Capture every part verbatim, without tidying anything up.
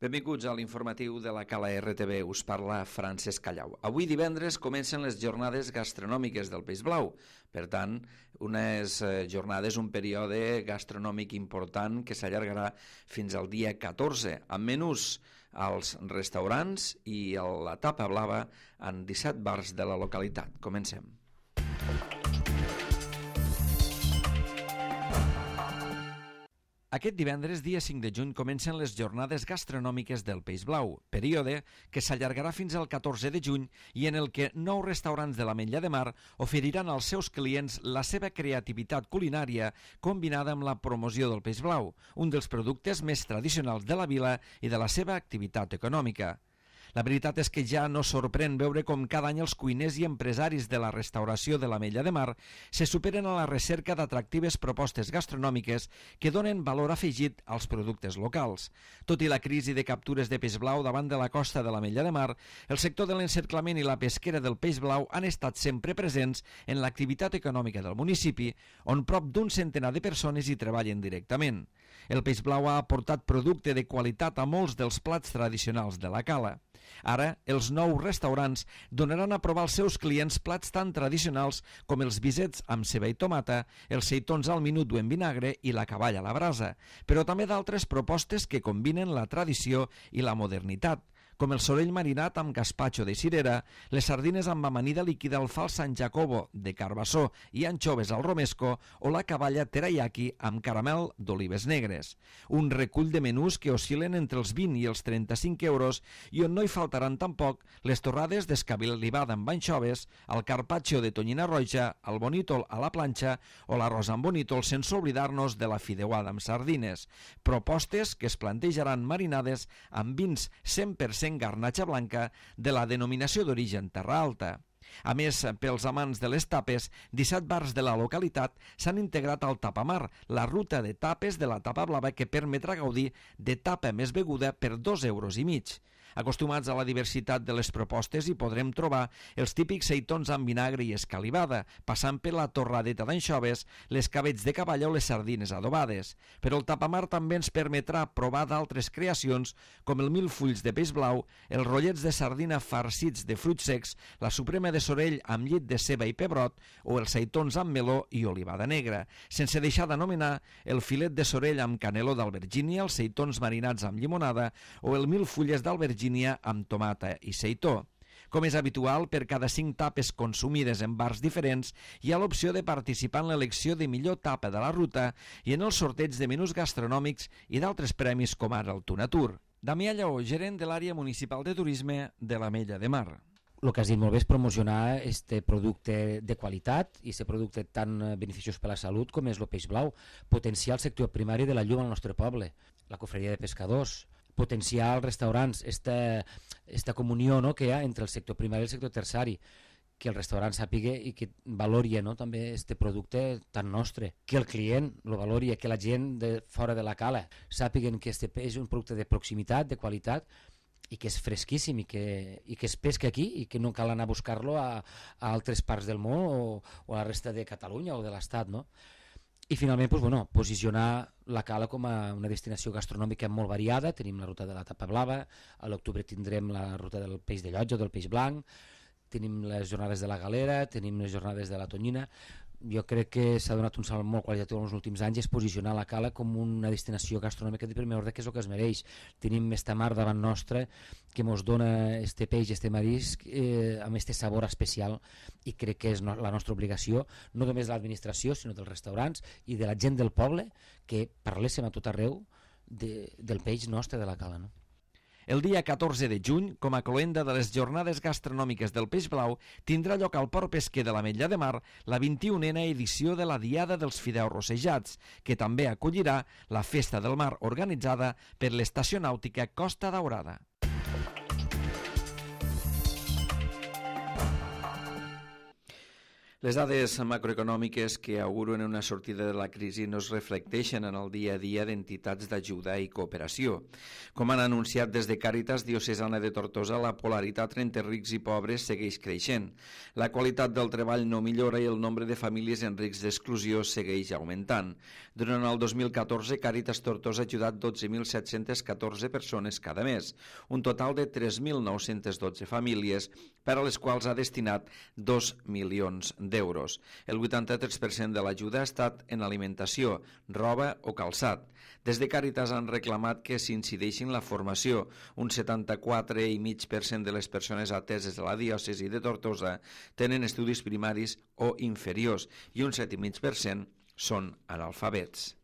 Benvinguts a l'informatiu de la Cala R T V. Us parla Francesc Callau. Avui divendres comencen les jornades gastronòmiques del Peix Blau. Per tant, unes jornades, un període gastronòmic important que s'allargarà fins al dia catorze, amb menús als restaurants i a la tapa blava en disset bars de la localitat. Comencem. Aquest divendres, dia cinc de juny, comencen les jornades gastronòmiques del Peix Blau, període que s'allargarà fins al catorze de juny i en el que nou restaurants de l'Ametlla de Mar oferiran als seus clients la seva creativitat culinària combinada amb la promoció del peix blau, un dels productes més tradicionals de la vila i de la seva activitat econòmica. La veritat és que ja no sorprèn veure com cada any els cuiners i empresaris de la restauració de l'Ametlla de Mar se superen a la recerca d'atractives propostes gastronòmiques que donen valor afegit als productes locals. Tot i la crisi de captures de peix blau davant de la costa de l'Ametlla de Mar, el sector de l'encerclament i la pesquera del peix blau han estat sempre presents en l'activitat econòmica del municipi, on prop d'un centenar de persones hi treballen directament. El peix blau ha aportat producte de qualitat a molts dels plats tradicionals de la cala. Ara, els nous restaurants donaran a provar als seus clients plats tan tradicionals com els bisets amb ceba i tomata, els seitons al minut o en vinagre i la caballa a la brasa, però també d'altres propostes que combinen la tradició i la modernitat, com el sorell marinat amb gazpacho de cirera, les sardines amb amanida líquida al fals San Jacobo de carbassó i anxoves al romesco o la caballa teriyaki amb caramel d'olives negres. Un recull de menús que oscil·len entre els vint i els trenta-cinc euros i on no hi faltaran tampoc les torrades d'escabilivada amb anxoves, el carpaccio de tonyina roja, el bonítol a la planxa o l'arròs amb bonítol, sense oblidar-nos de la fideuada amb sardines. Propostes que es plantejaran marinades amb vins cent per cent garnatxa blanca de la denominació d'origen Terra Alta. A més, pels amants de les tapes, disset bars de la localitat s'han integrat al Tapamar, la ruta de tapes de la tapa blava que permetrà gaudir de tapa més beguda per dos euros i mig. Acostumats a la diversitat de les propostes hi podrem trobar els típics seitons amb vinagre i escalivada, passant per la torradeta d'anxoves, les cabells de cavall o les sardines adobades. Però el Tapamar també ens permetrà provar d'altres creacions com el mil fulls de peix blau, els rotllets de sardina farcits de fruits secs, la suprema de sorell amb llit de ceba i pebrot o els seitons amb meló i olivada negra, sense deixar d'anomenar el filet de sorell amb caneló d'albergínia, els seitons marinats amb llimonada o el mil fulles d'albergínia amb tomata i seitó. Com és habitual, per cada cinc tapes consumides en bars diferents hi ha l'opció de participar en l'elecció de millor tapa de la ruta i en el sorteig de menús gastronòmics i d'altres premis com ara el Tunatur. Damià Lleó, gerent de l'àrea municipal de turisme de l'Ametlla de Mar. El que has dit molt bé és promocionar este producte de qualitat i aquest producte tan beneficiós per a la salut com és el peix blau, potenciar el sector primari de la llum al nostre poble, la cofreria de pescadors, potenciar els restaurants, esta, esta comunió, no?, que hi ha entre el sector primari i el sector terciari, que el restaurant sàpiga i que valori, no?, també este producte tan nostre, que el client lo valori, que la gent de fora de la cala sàpiguen que este és un producte de proximitat, de qualitat, i que és fresquíssim i que, i que es pesca aquí i que no cal anar a buscar-lo a, a altres parts del món o, o a la resta de Catalunya o de l'Estat, no? I finalment, doncs, bueno, posicionar la cala com a una destinació gastronòmica molt variada. Tenim la ruta de la tapa blava, a l'octubre tindrem la ruta del peix de llotja o del peix blanc, tenim les jornades de la galera, tenim les jornades de la tonyina. Jo crec que s'ha donat un salt molt qualitatiu en els últims anys, és posicionar la cala com una destinació gastronòmica de primer ordre, que és el que es mereix. Tenim esta mar davant nostra que ens dona este peix, este marisc, eh, amb este sabor especial, i crec que és no, la nostra obligació, no només de l'administració, sinó dels restaurants i de la gent del poble, que parléssim a tot arreu de, del peix nostre de la cala, no? El dia catorze de juny, com a cloenda de les jornades gastronòmiques del Peix Blau, tindrà lloc al Port Pesquer de l'Ametlla de Mar la vint-i-unena edició de la Diada dels Fideus Rossejats, que també acollirà la Festa del Mar organitzada per l'Estació Nàutica Costa Daurada. Les dades macroeconòmiques que auguren una sortida de la crisi no es reflecteixen en el dia a dia d'entitats d'ajuda i cooperació. Com han anunciat des de Càritas Diocesana de Tortosa, la polaritat entre rics i pobres segueix creixent. La qualitat del treball no millora i el nombre de famílies en risc d'exclusió segueix augmentant. Durant el dos mil catorze, Càritas Tortosa ha ajudat dotze mil set-cents catorze persones cada mes, un total de tres mil nou-cents dotze famílies, per a les quals ha destinat dos milions d'euros. El vuitanta-tres per cent de l'ajuda ha estat en alimentació, roba o calçat. Des de Càritas han reclamat que s'incideixi en la formació. Un setanta-quatre coma cinc per cent de les persones ateses a la diòcesi de Tortosa tenen estudis primaris o inferiors i un set coma cinc per cent són analfabets.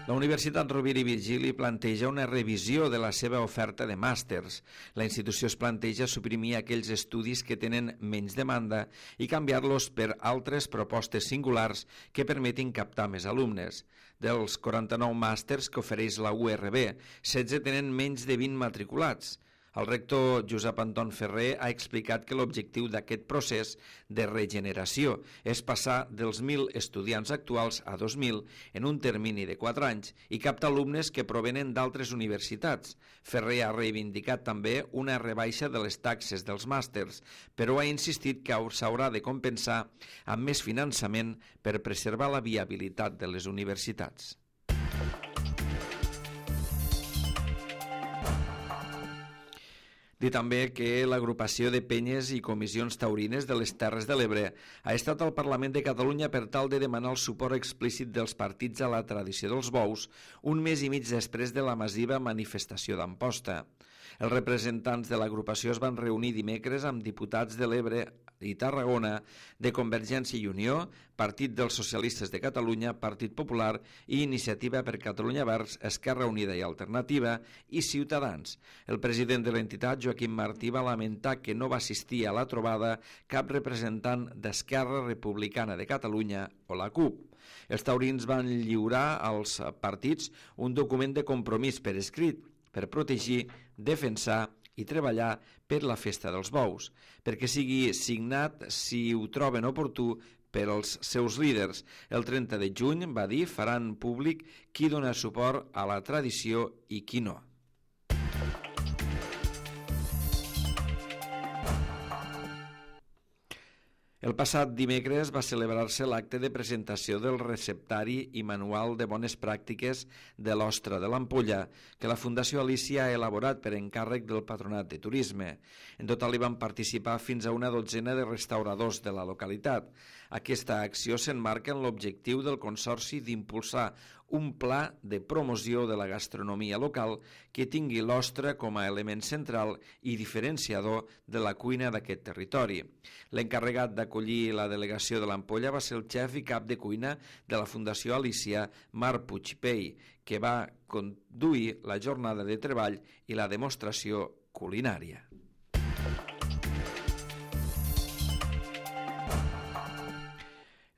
La Universitat Rovira i Virgili planteja una revisió de la seva oferta de màsters. La institució es planteja suprimir aquells estudis que tenen menys demanda i canviar-los per altres propostes singulars que permetin captar més alumnes. Dels quaranta-nou màsters que ofereix la U R B, setze tenen menys de vint matriculats. El rector Josep Anton Ferrer ha explicat que l'objectiu d'aquest procés de regeneració és passar dels mil estudiants actuals a dos mil en un termini de quatre anys i captar alumnes que provenen d'altres universitats. Ferrer ha reivindicat també una rebaixa de les taxes dels màsters, però ha insistit que s'haurà de compensar amb més finançament per preservar la viabilitat de les universitats. Dir també que l'agrupació de penyes i comissions taurines de les Terres de l'Ebre ha estat al Parlament de Catalunya per tal de demanar el suport explícit dels partits a la tradició dels bous un mes i mig després de la massiva manifestació d'Amposta. Els representants de l'agrupació es van reunir dimecres amb diputats de l'Ebre i Tarragona, de Convergència i Unió, Partit dels Socialistes de Catalunya, Partit Popular i Iniciativa per Catalunya Verds, Esquerra Unida i Alternativa i Ciutadans. El president de l'entitat, Joaquim Martí, va lamentar que no va assistir a la trobada cap representant d'Esquerra Republicana de Catalunya o la CUP. Els taurins van lliurar als partits un document de compromís per escrit per protegir, defensar i treballar per la festa dels bous, perquè sigui signat, si ho troben oportú, per als seus líders. El trenta de juny, va dir, faran públic qui dona suport a la tradició i qui no. El passat dimecres va celebrar-se l'acte de presentació del receptari i manual de bones pràctiques de l'Ostra de l'Ampolla, que la Fundació Alícia ha elaborat per encàrrec del Patronat de Turisme. En total hi van participar fins a una dotzena de restauradors de la localitat. Aquesta acció s'emmarca en l'objectiu del Consorci d'impulsar un pla de promoció de la gastronomia local que tingui l'ostra com a element central i diferenciador de la cuina d'aquest territori. L'encarregat d'acollir la delegació de l'Ampolla va ser el xef i cap de cuina de la Fundació Alícia, Marc Puigpey, que va conduir la jornada de treball i la demostració culinària.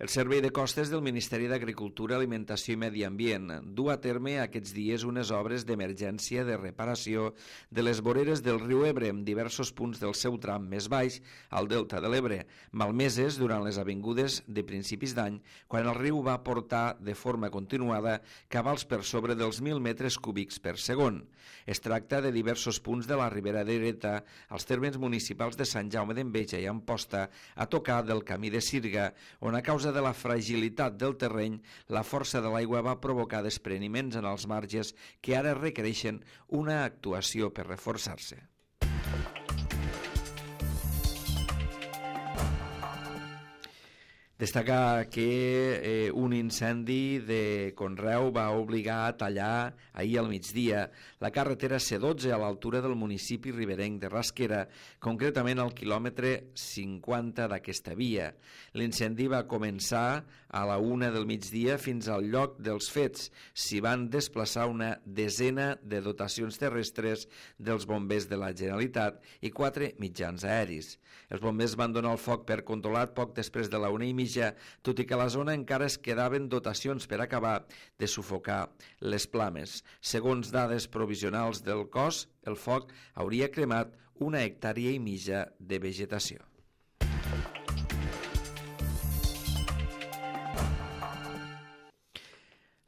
El Servei de Costes del Ministeri d'Agricultura, Alimentació i Medi Ambient du a terme aquests dies unes obres d'emergència de reparació de les voreres del riu Ebre en diversos punts del seu tram més baix al delta de l'Ebre, malmeses durant les avingudes de principis d'any, quan el riu va portar de forma continuada cabals per sobre dels mil metres cúbics per segon. Es tracta de diversos punts de la Ribera d'Ereta, als termes municipals de Sant Jaume d'Enveja i Amposta, a tocar del camí de Sirga, on a causa de la fragilitat del terreny, la força de l'aigua va provocar despreniments en els marges que ara requereixen una actuació per reforçar-se. Destacar que eh, un incendi de conreu va obligar a tallar ahir al migdia la carretera C dotze a l'altura del municipi riberenc de Rasquera, concretament al quilòmetre cinquanta d'aquesta via. L'incendi va començar a la una del migdia fins al lloc dels fets. S'hi van desplaçar una desena de dotacions terrestres dels bombers de la Generalitat i quatre mitjans aeris. Els bombers van donar el foc per controlat poc després de la una i mitja, tot i que a la zona encara es quedaven dotacions per acabar de sufocar les flames. Segons dades provisionals del cos, el foc hauria cremat una hectàrea i mitja de vegetació.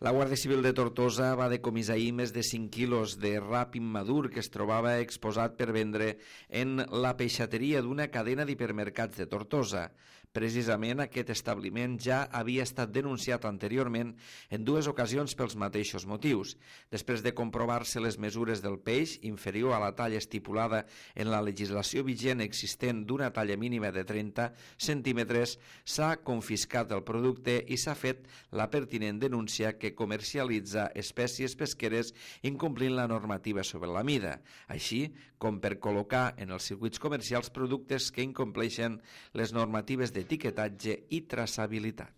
La Guàrdia Civil de Tortosa va decomissar ahir més de cinc quilos de rap immadur que es trobava exposat per vendre en la peixateria d'una cadena d'hipermercats de Tortosa. Precisament aquest establiment ja havia estat denunciat anteriorment en dues ocasions pels mateixos motius. Després de comprovar-se les mesures del peix, inferior a la talla estipulada en la legislació vigent existent d'una talla mínima de trenta centímetres, s'ha confiscat el producte i s'ha fet la pertinent denúncia que comercialitza espècies pesqueres incomplint la normativa sobre la mida, així com per col·locar en els circuits comercials productes que incompleixen les normatives d'etiquetatge i traçabilitat.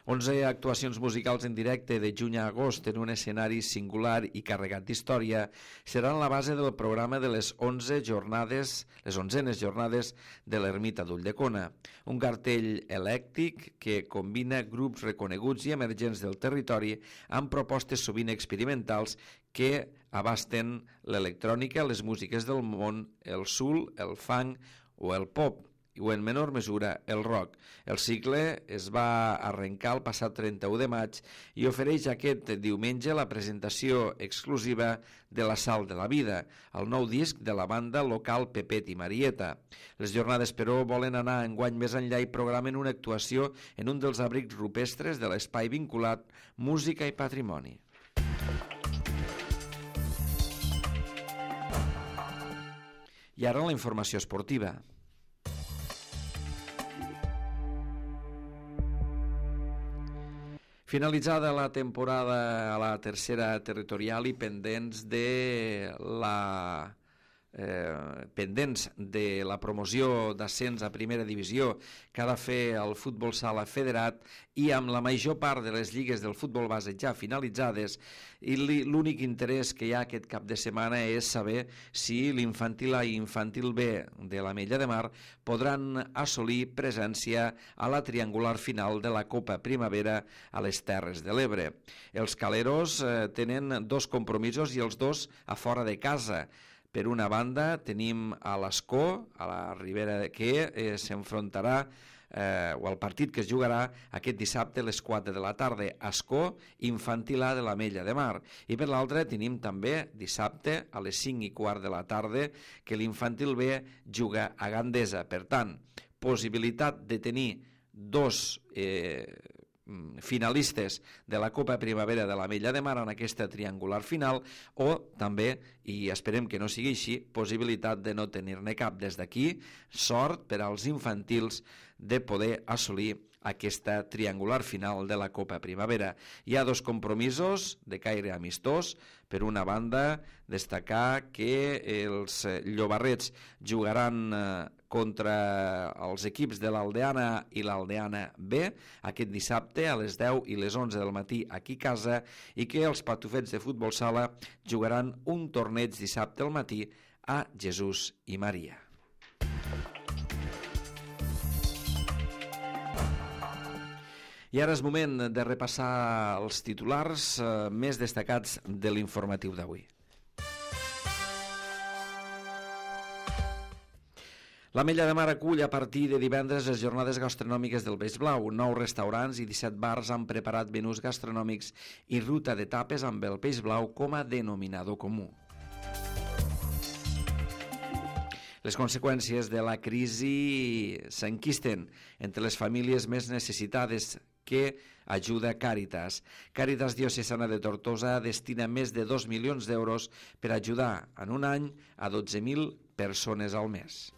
onze actuacions musicals en directe de juny a agost en un escenari singular i carregat d'història seran la base del programa de les onze jornades, les onzenes jornades de l'Ermita d'Ulldecona, un cartell elèctric que combina grups reconeguts i emergents del territori amb propostes sovint experimentals que abasten l'electrònica, les músiques del món, el soul, el funk o el pop, o en menor mesura el rock. El cicle es va arrencar el passat trenta-u de maig i ofereix aquest diumenge la presentació exclusiva de La Sal de la Vida, el nou disc de la banda local Pepet i Marieta. Les jornades, però, volen anar enguany més enllà i programen una actuació en un dels abrics rupestres de l'espai vinculat Música i Patrimoni. I ara la informació esportiva. Finalitzada la temporada a la tercera territorial i pendents de la eh, pendents de la promoció d'ascens a primera divisió que ha de fer el futbol sala federat i amb la major part de les lligues del futbol base ja finalitzades, i l'únic interès que hi ha aquest cap de setmana és saber si l'infantil A i infantil B de l'Ametlla de Mar podran assolir presència a la triangular final de la Copa Primavera a les Terres de l'Ebre. Els caleros eh, tenen dos compromisos i els dos a fora de casa. Per una banda tenim a l'Escó, a la Ribera, que eh, s'enfrontarà Eh, o el partit que es jugarà aquest dissabte a les quatre de la tarda, Escó, infantil A de l'Ametlla de Mar, i per l'altra tenim també dissabte a les cinc i quart de la tarda que l'infantil B juga a Gandesa. Per tant, possibilitat de tenir dos eh, finalistes de la Copa Primavera de l'Ametlla de Mar en aquesta triangular final, o també, i esperem que no sigui així, possibilitat de no tenir-ne cap. Des d'aquí, sort per als infantils de poder assolir aquesta triangular final de la Copa Primavera. Hi ha dos compromisos de caire amistós. Per una banda, destacar que els llobarrets jugaran contra els equips de l'Aldeana i l'Aldeana B aquest dissabte a les deu i les onze del matí aquí a casa, i que els patufets de futbol sala jugaran un torneig dissabte al matí a Jesús i Maria. I ara és moment de repassar els titulars eh, més destacats de l'informatiu d'avui. L'Ametlla de Mar acull a partir de divendres les jornades gastronòmiques del Peix Blau. Nou restaurants i disset bars han preparat menús gastronòmics i ruta de tapes amb el Peix Blau com a denominador comú. Les conseqüències de la crisi s'enquisten entre les famílies més necessitades que ajuda Càritas. Càritas Diocesana de Tortosa destina més de dos milions d'euros per ajudar en un any a dotze mil persones al mes.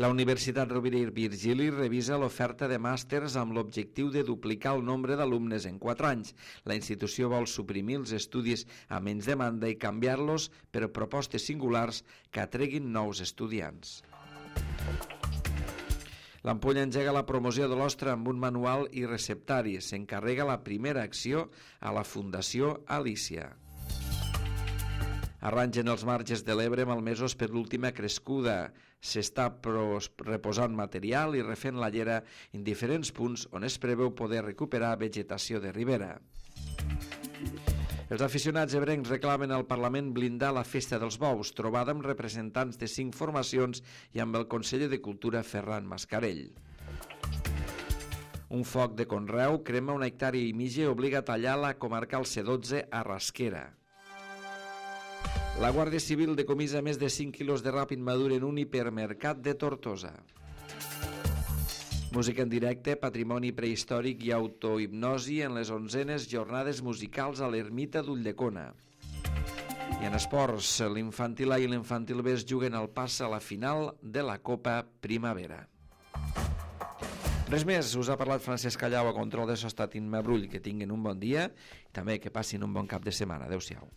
La Universitat Rovira i Virgili revisa l'oferta de màsters amb l'objectiu de duplicar el nombre d'alumnes en quatre anys. La institució vol suprimir els estudis a menys demanda i canviar-los per propostes singulars que atreguin nous estudiants. L'Ampolla engega la promoció de l'ostra amb un manual i receptari. S'encarrega la primera acció a la Fundació Alícia. Arrangen els marges de l'Ebre malmesos per l'última crescuda. S'està reposant material i refent la llera en diferents punts on es preveu poder recuperar vegetació de ribera. Els aficionats ebrencs reclamen al Parlament blindar la Festa dels Bous, trobada amb representants de cinc formacions i amb el conseller de Cultura Ferran Mascarell. Un foc de conreu crema una hectàrea i mitja i obliga a tallar la comarcal C dotze a Rasquera. La Guàrdia Civil decomissa més de cinc quilos de rap immadur en un hipermercat de Tortosa. Música en directe, patrimoni prehistòric i autohipnosi en les onzenes jornades musicals a l'Ermita d'Ulldecona. I en esports, l'infantil A i l'infantil B es juguen al pas a la final de la Copa Primavera. Res més, us ha parlat Francesc Callau a control de so estat Imma Brull. Que tinguin un bon dia i també que passin un bon cap de setmana. Adéu-siau.